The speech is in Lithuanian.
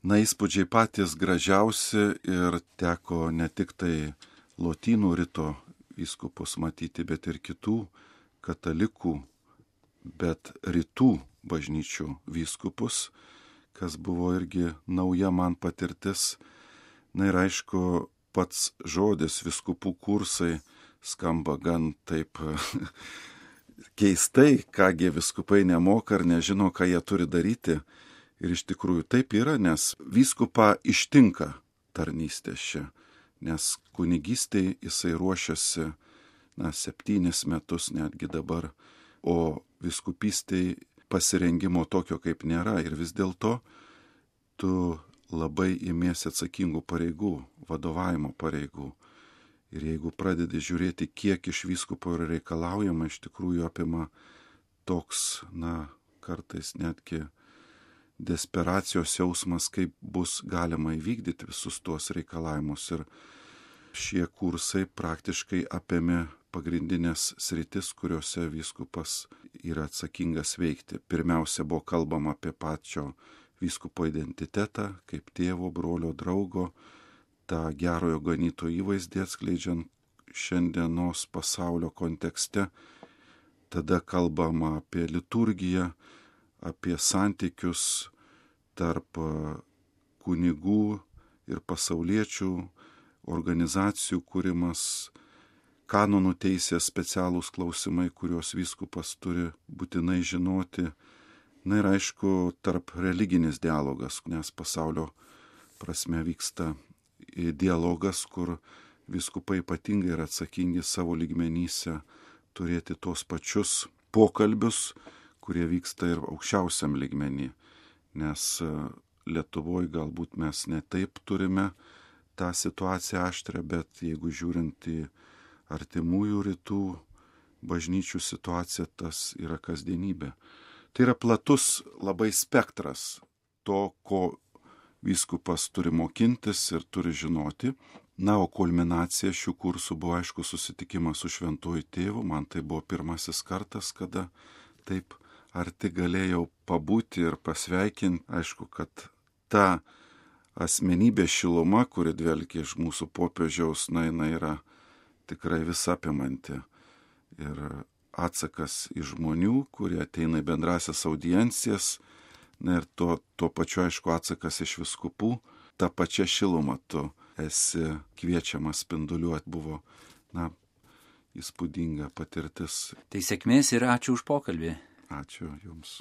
įspūdžiai patys gražiausi ir teko ne tik tai Lotynų rito vyskupus matyti, bet ir kitų katalikų, bet rytų bažnyčių vyskupus, kas buvo irgi nauja man patirtis. Na ir aišku, pats žodis vyskupų kursai skamba gan taip keistai, kągi vyskupai nemoka ar nežino, ką jie turi daryti. Ir iš tikrųjų taip yra, nes vyskupą ištinka tarnystės čia, nes kunigystėj jisai ruošiasi 7 metus netgi dabar, o vyskupystėj pasirengimo tokio kaip nėra ir vis dėlto tu labai imiesi atsakingų pareigų, vadovavimo pareigų. Ir jeigu pradedi žiūrėti, kiek iš vyskupo yra reikalaujama, iš tikrųjų apima toks, kartais netgi desperacijos jausmas, kaip bus galima įvykdyti visus tuos reikalavimus. Ir šie kursai praktiškai apėmė pagrindinės sritis, kuriuose vyskupas yra atsakingas veikti. Pirmiausia, buvo kalbama apie pačio vyskupo identitetą, kaip tėvo, brolio, draugo, tą gerojo ganytojo įvaizdį atskleidžiant šiandienos pasaulio kontekste. Tada kalbama apie liturgiją, apie santykius tarp kunigų ir pasauliečių, organizacijų kūrimas, kanonų teisės specialūs klausimai, kuriuos vyskupas turi būtinai žinoti. Na ir aišku, tarp religinis dialogas, nes pasaulio prasme vyksta dialogas, kur vyskupai ypatingai yra atsakingi savo lygmenyse turėti tos pačius pokalbius, kurie vyksta ir aukščiausiam lygmenį. Nes Lietuvoje galbūt mes ne taip turime tą situaciją aštrę, bet jeigu žiūrint į artimųjų rytų bažnyčių situaciją, tas yra kasdienybė. Tai yra platus labai spektras to, ko vyskupas turi mokintis ir turi žinoti. Na, o kulminacija šių kursų buvo, aišku, susitikimas su Šventuoju Tėvu. Man tai buvo pirmasis kartas, kada taip arti galėjau pabūti ir pasveikinti. Aišku, kad ta asmenybė šiluma, kuri dvelkia iš mūsų popiežiaus, jinai yra tikrai visapimanti. Ir atsakas iš žmonių, kurie ateina į bendrasias audiencijas, ir tuo pačiu, aišku, atsakas iš vyskupų, ta pačia šiluma tu esi kviečiamas spinduliuoti, buvo, įspūdinga patirtis. Tai sėkmės ir ačiū už pokalbį. Ačiū Jums.